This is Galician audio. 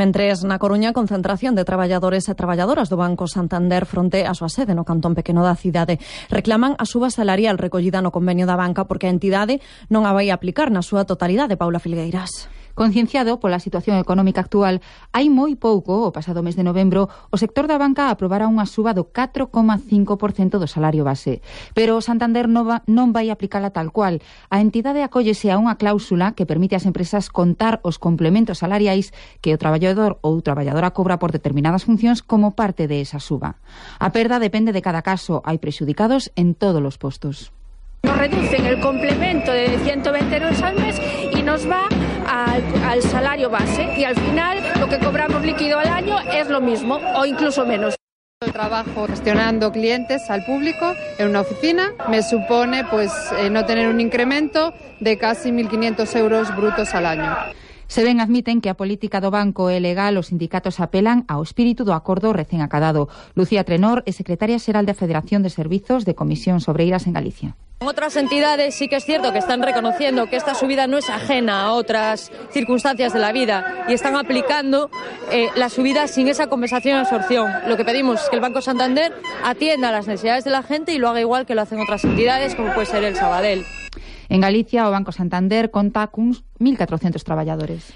Mentres na Coruña, concentración de traballadores e traballadoras do Banco Santander fronte á súa sede no cantón pequeno da cidade. Reclaman a suba salarial recollida no convenio da banca porque a entidade non a vai aplicar na súa totalidade. Paula Filgueiras. Concienciado pola situación económica actual, hai moi pouco, o pasado mes de novembro, o sector da banca aprobara unha suba do 4,5% do salario base. Pero o Santander non vai aplicala tal cual. A entidade acóllese a unha cláusula que permite ás empresas contar os complementos salariais que o traballador ou traballadora cobra por determinadas funcións como parte de esa suba. A perda depende de cada caso. Hai prexudicados en todos os postos. Nos reducen el complemento de 120 euros al mes y nos va al salario base y al final lo que cobramos líquido al año es lo mismo o incluso menos. El trabajo gestionando clientes al público en una oficina me supone no tener un incremento de casi 1.500 euros brutos al año. Se ben admiten que a política do banco é legal, os sindicatos apelan ao espírito do acordo recén acadado. Lucía Trenor é secretaria xeral da Federación de Servizos de Comisións Obreiras en Galicia. Otras entidades sí que es cierto que están reconociendo que esta subida no es ajena a otras circunstancias de la vida y están aplicando la subida sin esa compensación y absorción. Lo que pedimos es que el Banco Santander atienda a las necesidades de la gente y lo haga igual que lo hacen otras entidades como puede ser el Sabadell. En Galicia, o Banco Santander conta cuns 1.400 traballadores.